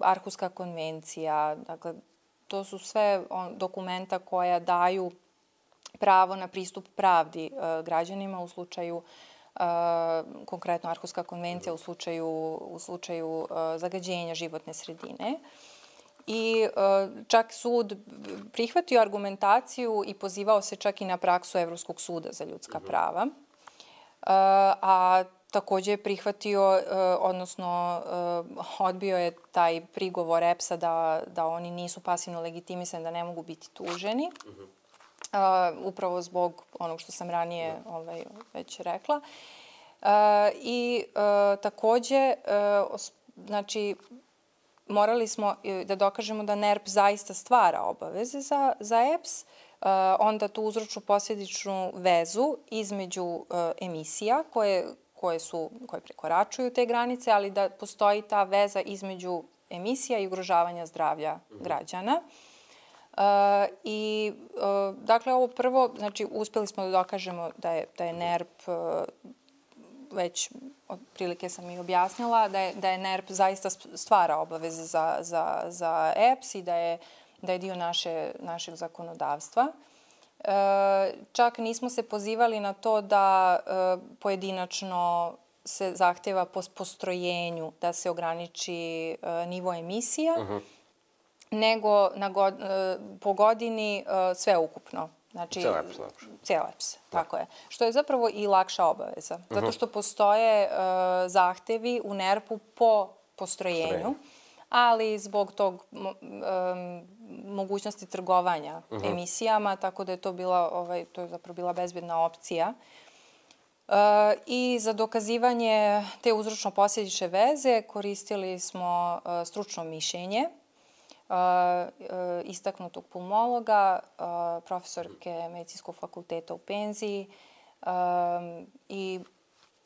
Arhuska konvencija, dakle, to su sve dokumenta koja daju pravo na pristup pravdi građanima u slučaju, konkretno Arhuska konvencija u slučaju, u slučaju zagađenja životne sredine. I čak sud prihvatio argumentaciju i pozivao se čak i na praksu Evropskog suda za ljudska prava. A također je prihvatio, odnosno odbio je taj prigovor E P S-a da, da oni nisu pasivno legitimisani, da ne mogu biti tuženi. Upravo zbog onog što sam ranije ovaj, već rekla. I također, znači, morali smo da dokažemo da N E R P zaista stvara obaveze za, za E P S, onda tu uzročnu posljedičnu vezu između emisija koje, koje, su, koje prekoračuju te granice, ali da postoji ta veza između emisija i ugrožavanja zdravlja građana. I, dakle, ovo prvo, znači, uspjeli smo da dokažemo da je, da je N E R P, već otprilike sam i objasnila, da je, da je N E R P zaista stvara obaveze za, za, za E P S i da je, da je dio naše, našeg zakonodavstva. Čak nismo se pozivali na to da pojedinačno se zahteva po postrojenju da se ograniči nivo emisija, uh-huh. nego na god, po godini sve ukupno. Znači, cijel E P S. Cijel E P S, tako je. Što je zapravo i lakša obaveza. Zato što postoje uh, zahtevi u N E R P-u po postrojenju, ali zbog tog um, mogućnosti trgovanja uh-huh. emisijama, tako da je to bila, ovaj, to je zapravo bila bezbedna opcija. Uh, I za dokazivanje te uzročno-posljedične veze koristili smo uh, stručno mišljenje Uh, uh, istaknutog pulmologa, uh, profesorke medicinskog fakulteta u penziji um, i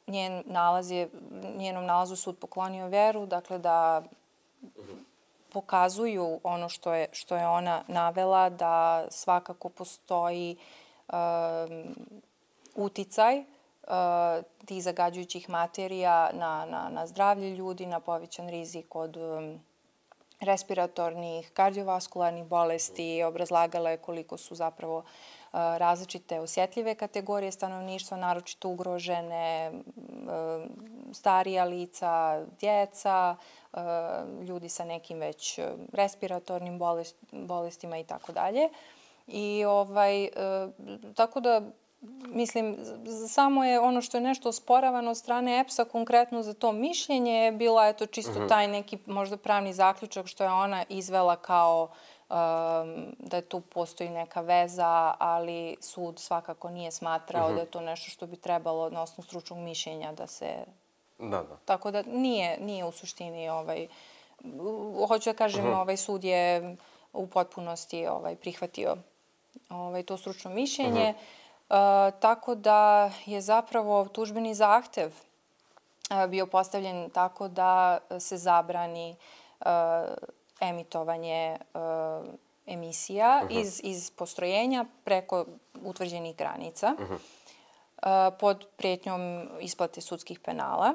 njen nalaz je, njenom nalazu sud poklonio veru, dakle da pokazuju ono što je, što je ona navela, da svakako postoji um, uticaj uh, tih zagađujućih materija na, na, na zdravlje ljudi, na povećan rizik od um, respiratornih, kardiovaskularnih bolesti, obrazlagala je koliko su zapravo uh, različite osjetljive kategorije stanovništva, naročito ugrožene, uh, starija lica, djeca, uh, ljudi sa nekim već respiratornim bolest, bolestima i tako dalje. I ovaj, uh, tako da mislim, samo je ono što je nešto osporavano od strane E P S-a konkretno za to mišljenje je bila eto čisto taj neki možda pravni zaključak što je ona izvela kao um, da je tu postoji neka veza, ali sud svakako nije smatrao uh-huh. da je to nešto što bi trebalo na osnovu stručnog mišljenja da se... Da, da. Tako da nije, nije u suštini ovaj... Hoću da kažem, uh-huh. ovaj sud je u potpunosti ovaj, prihvatio ovaj, to stručno mišljenje. Uh-huh. Uh, tako da je zapravo tužbeni zahtev uh, bio postavljen tako da se zabrani uh, emitovanje uh, emisija uh-huh. iz, iz postrojenja preko utvrđenih granica uh-huh. uh, pod prijetnjom isplate sudskih penala.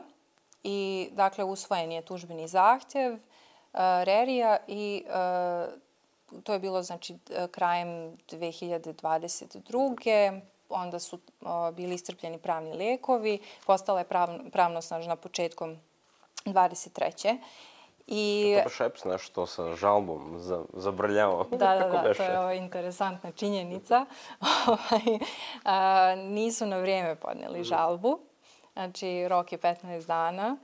I, dakle, usvojen je tužbeni zahtev uh, Rerija i uh, to je bilo, znači, krajem dve hiljade dvadeset druge Onda su o, bili iscrpljeni pravni lekovi, postala je prav, pravnosnažna početkom dvadeset treće I... To baš E P S nešto sa žalbom zabrljao. Da, da, da, to je ova interesantna činjenica. a, nisu na vrijeme podneli žalbu. Znači, rok je petnaest dana.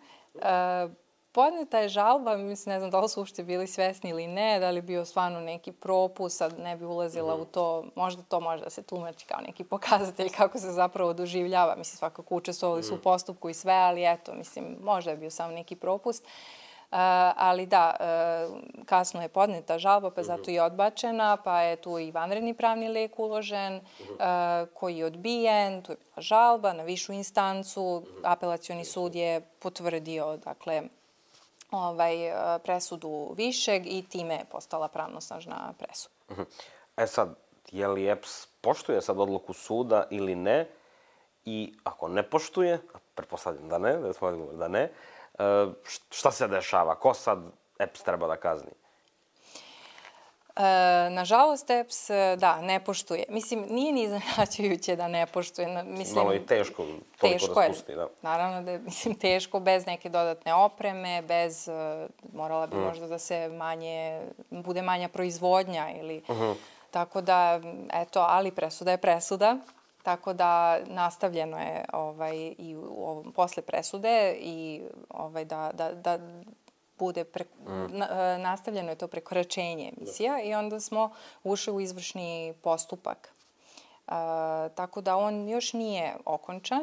E, podneta je žalba, mislim, ne znam da li su uopšte bili svesni ili ne, da li je bio stvarno neki propust, sad ne bi ulazila mm. u to, možda to može da se tumači kao neki pokazatelj kako se zapravo doživljava. Mislim, svakako učestvovali su mm. u postupku i sve, ali eto, mislim, možda je bio samo neki propust. Uh, ali da, uh, kasno je podneta žalba, pa zato je odbačena, pa je tu i vanredni pravni lek uložen, uh, koji je odbijen, tu je bila žalba na višu instancu, apelacioni sud je potvrdio, dakle, ovaj, presudu višeg i time je postala pravnosnažna presuda. E sad, je li E P S poštuje sad odluku suda ili ne? I ako ne poštuje, pretpostavljam da ne, da smo odgovor da ne, šta se dešava? Ko sad E P S treba da kazni? E, nažalost, E P S, da, ne poštuje. Mislim, nije ni iznenađujuće da ne poštuje. Mislim, malo i teško toliko da spusti, da. Naravno da je, mislim, teško bez neke dodatne opreme, bez, morala bi mm. možda da se manje, bude manja proizvodnja ili, uh-huh. tako da, eto, ali presuda je presuda. Tako da nastavljeno je ovaj, i u ovom, posle presude i ovaj, da, da, da bude pre, mm. na, nastavljeno je to prekoračenje emisija i onda smo ušli u izvršni postupak. E, tako da on još nije okončan.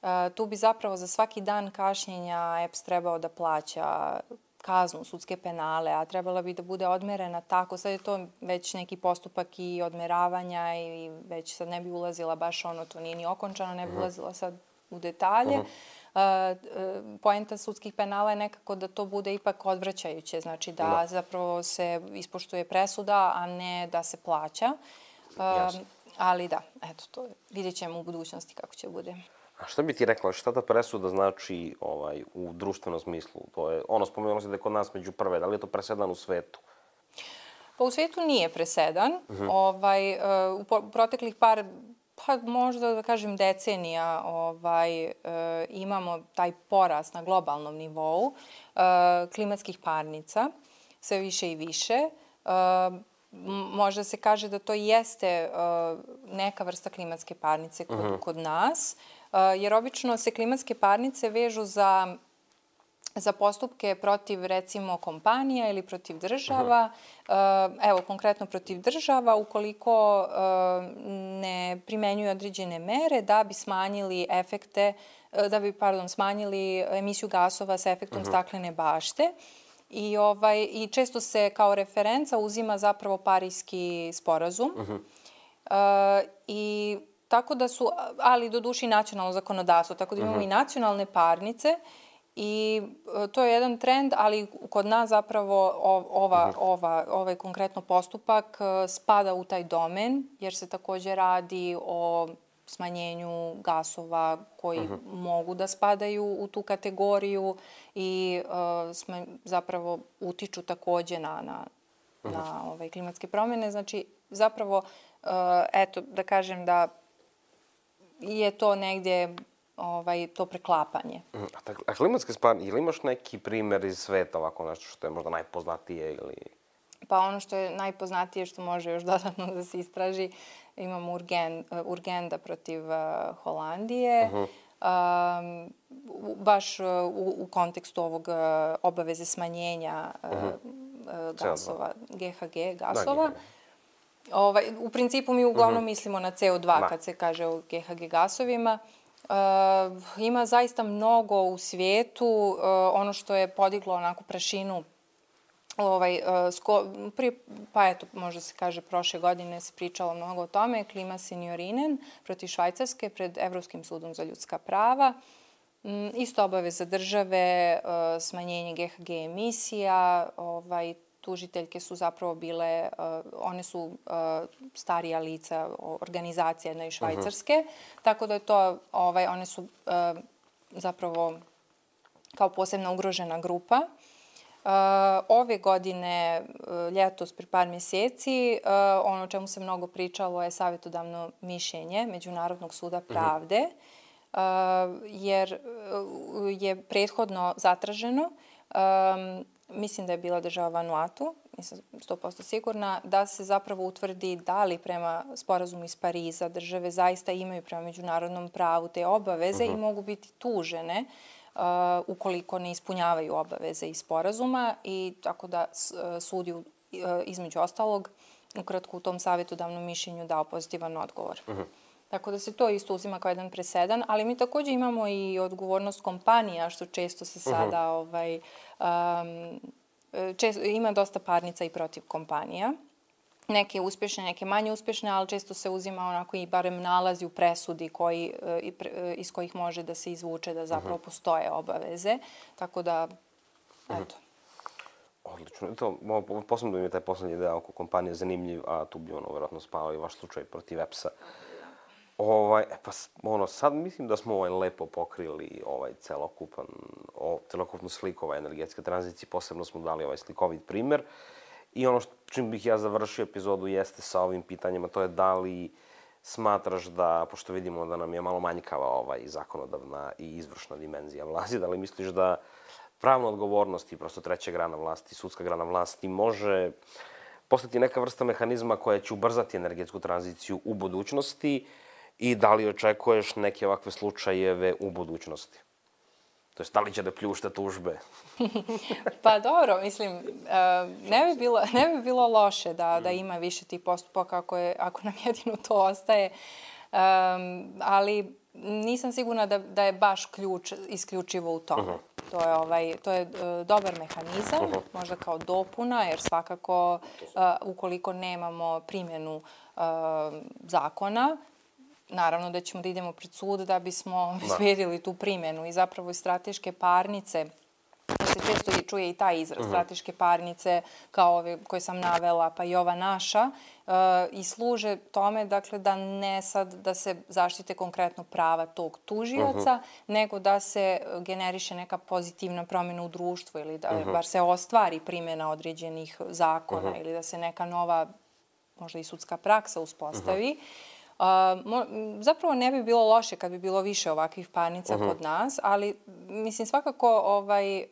E, tu bi zapravo za svaki dan kašnjenja E P S trebao da plaća kaznu, sudske penale, a trebala bi da bude odmerena tako. Sad je to već neki postupak i odmeravanja i već sad ne bi ulazila baš ono, to nije ni okončano, ne bi ulazila sad u detalje. Uh-huh. Uh, poenta sudskih penala je nekako da to bude ipak odvraćajuće, znači da no. zapravo se ispoštuje presuda, a ne da se plaća. Uh, ali da, eto, to vidjet ćemo u budućnosti kako će bude. A šta bi ti rekla, šta ta presuda znači ovaj, u društvenom smislu? To je, ono, spomenulo se da je kod nas među prve, da li je to presedan u svetu? Pa u svetu nije presedan. Uh-huh. Ovaj, uh, u proteklih par, pa možda da kažem decenija, ovaj, uh, imamo taj porast na globalnom nivou uh, klimatskih parnica, sve više i više. Uh, možda se kaže da to jeste uh, neka vrsta klimatske parnice kod, uh-huh. kod nas, jer obično se klimatske parnice vežu za, za postupke protiv, recimo, kompanija ili protiv država. Uh-huh. Evo, konkretno protiv država, ukoliko ne primenjuju određene mere da bi smanjili efekte, da bi, pardon, smanjili emisiju gasova sa efektom uh-huh. staklene bašte. I, ovaj, I često se kao referenca uzima zapravo Parijski sporazum. Uh-huh. Uh, I tako da su, ali do duši nacionalno zakonodavstvo, tako da imamo uh-huh. i nacionalne parnice i to je jedan trend, ali kod nas zapravo ova, uh-huh. ova, ovaj konkretno postupak spada u taj domen, jer se također radi o smanjenju gasova koji uh-huh. mogu da spadaju u tu kategoriju i uh, sme, zapravo utiču također na, na, uh-huh. na ovaj, klimatske promjene. Znači, zapravo, uh, eto, da kažem da je to negdje ovaj, to preklapanje. A, a klimatske spane, ili imaš neki primjer iz sveta, ovako nešto što je možda najpoznatije ili... Pa ono što je najpoznatije, što može još dodatno da se istraži, imamo Urgen, Urgenda protiv uh, Holandije. Uh-huh. Um, baš uh, u, u kontekstu ovog uh, obaveze smanjenja uh, uh-huh. uh, gasova, G H G gasova. Da, Ovaj, u principu mi uglavnom uh-huh. mislimo na C O dva da. Kad se kaže o G H G gasovima. Uh, ima zaista mnogo u svijetu. Uh, ono što je podiglo onako prašinu, ovaj, uh, sko, prije, pa eto, možda se kaže prošle godine se pričalo mnogo o tome, Klima Seniorinen protiv Švajcarske pred Evropskim sudom za ljudska prava. Um, isto obaveza države, uh, smanjenje G H G emisija, ovaj, tužiteljke su zapravo bile, uh, one su uh, starija lica, organizacija jedna iz Švajcarske, uh-huh. tako da je to, ovaj, one su uh, zapravo kao posebno ugrožena grupa. Uh, ove godine, uh, ljetos, pri par mjeseci, uh, ono o čemu se mnogo pričalo je savjetodavno mišljenje Međunarodnog suda pravde, uh-huh. uh, jer uh, je prethodno zatraženo, um, mislim da je bila država Vanuatu, nisam sto posto sigurna, da se zapravo utvrdi da li prema sporazumu iz Pariza države zaista imaju prema međunarodnom pravu te obaveze uh-huh. i mogu biti tužene ukoliko ne ispunjavaju obaveze iz sporazuma i tako da sud je između ostalog ukratko u tom savjetodavnom mišljenju dao pozitivan odgovor. Uh-huh. Tako da se to isto uzima kao jedan presedan, ali mi također imamo i odgovornost kompanija, što često se sada uh-huh. ovaj, um, često, ima dosta parnica i protiv kompanija. Neke uspješne, neke manje uspješne, ali često se uzima onako i barem nalazi u presudi koji, iz kojih može da se izvuče da zapravo uh-huh. postoje obaveze. Tako da, eto. Odlično. To, posebno da mi je taj poslednji deo oko kompanije zanimljiv, a tu bi ono vjerojatno spao i vaš slučaj protiv E P S-a. Ovaj, pa ono, sad mislim da smo ovaj lepo pokrili ovaj celokupan, o, celokupnu sliku ovaj energetske tranzicije, posebno smo dali ovaj slikovit primer. I ono što, čim bih ja završio epizodu jeste sa ovim pitanjima, to je da li smatraš da, pošto vidimo da nam je malo manjkava ovaj zakonodavna i izvršna dimenzija vlasti, da li misliš da pravna odgovornost i prosto treća grana vlasti, sudska grana vlasti može postati neka vrsta mehanizma koja će ubrzati energetsku tranziciju u budućnosti i da li očekuješ neke ovakve slučajeve u budućnosti? To jest, da li će da pljušta tužbe? Pa dobro, mislim, ne bi bilo, ne bi bilo loše da, da ima više tih postupaka ako, je, ako nam jedino to ostaje, um, ali nisam sigurna da, da je baš ključ isključivo u tome. Uh-huh. To je, ovaj, to je uh, dobar mehanizam, uh-huh. možda kao dopuna, jer svakako uh, ukoliko nemamo primjenu uh, zakona, naravno da ćemo da idemo pred sud da bismo obezbedili tu primjenu i zapravo i strateške parnice, to se često čuje i taj izraz, uh-huh. strateške parnice kao ove koje sam navela, pa i ova naša, uh, i služe tome dakle, da ne sad da se zaštite konkretno prava tog tužioca, uh-huh. nego da se generiše neka pozitivna promjena u društvu ili da uh-huh. bar se ostvari primjena određenih zakona uh-huh. ili da se neka nova, možda i sudska praksa uspostavi. Uh-huh. Uh, mo, zapravo ne bi bilo loše kad bi bilo više ovakvih parnica uh-huh. kod nas, ali mislim svakako ovaj, uh,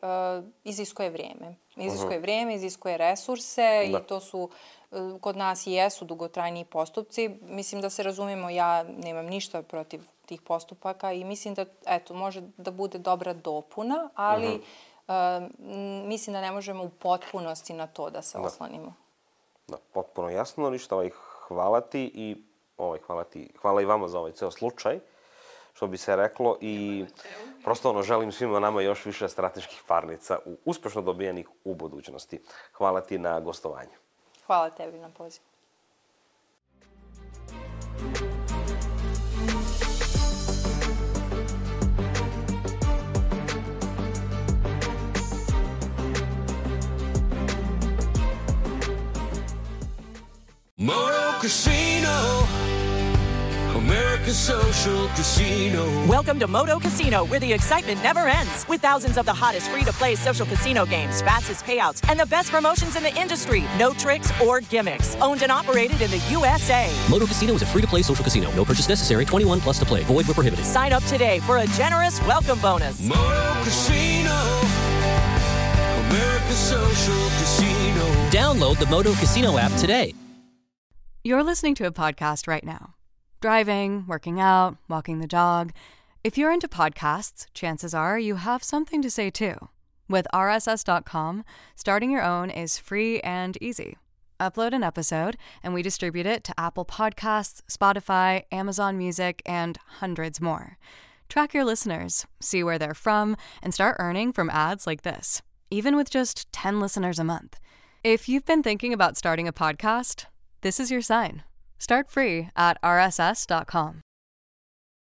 iziskuje vrijeme. Iziskuje uh-huh. vrijeme, iziskuje resurse da. I to su uh, kod nas i jesu dugotrajniji postupci. Mislim da se razumijemo, ja nemam ništa protiv tih postupaka i mislim da eto, može da bude dobra dopuna, ali uh-huh. uh, mislim da ne možemo u potpunosti na to da se da. Oslonimo. Da, potpuno jasno, ništa ovaj, hvala ti i Ovaj, hvala, ti, hvala i vama za ovaj ceo slučaj, što bi se reklo i prosto ono, želim svima nama još više strateških parnica u, uspešno dobijenih u budućnosti. Hvala ti na gostovanju. Hvala tebi na pozivu. Moto Casino, America's social casino. Welcome to Moto Casino, where the excitement never ends. With thousands of the hottest free-to-play social casino games, fastest payouts, and the best promotions in the industry. No tricks or gimmicks. Owned and operated in the U S A. Moto Casino is a free-to-play social casino. No purchase necessary. twenty-one plus to play. Void where prohibited. Sign up today for a generous welcome bonus. Moto Casino, America's social casino. Download the Moto Casino app today. You're listening to a podcast right now. Driving, working out, walking the dog. If you're into podcasts, chances are you have something to say too. With R S S dot com, starting your own is free and easy. Upload an episode, and we distribute it to Apple Podcasts, Spotify, Amazon Music, and hundreds more. Track your listeners, see where they're from, and start earning from ads like this, even with just ten listeners a month. If you've been thinking about starting a podcast, this is your sign. Start free at R S S dot com.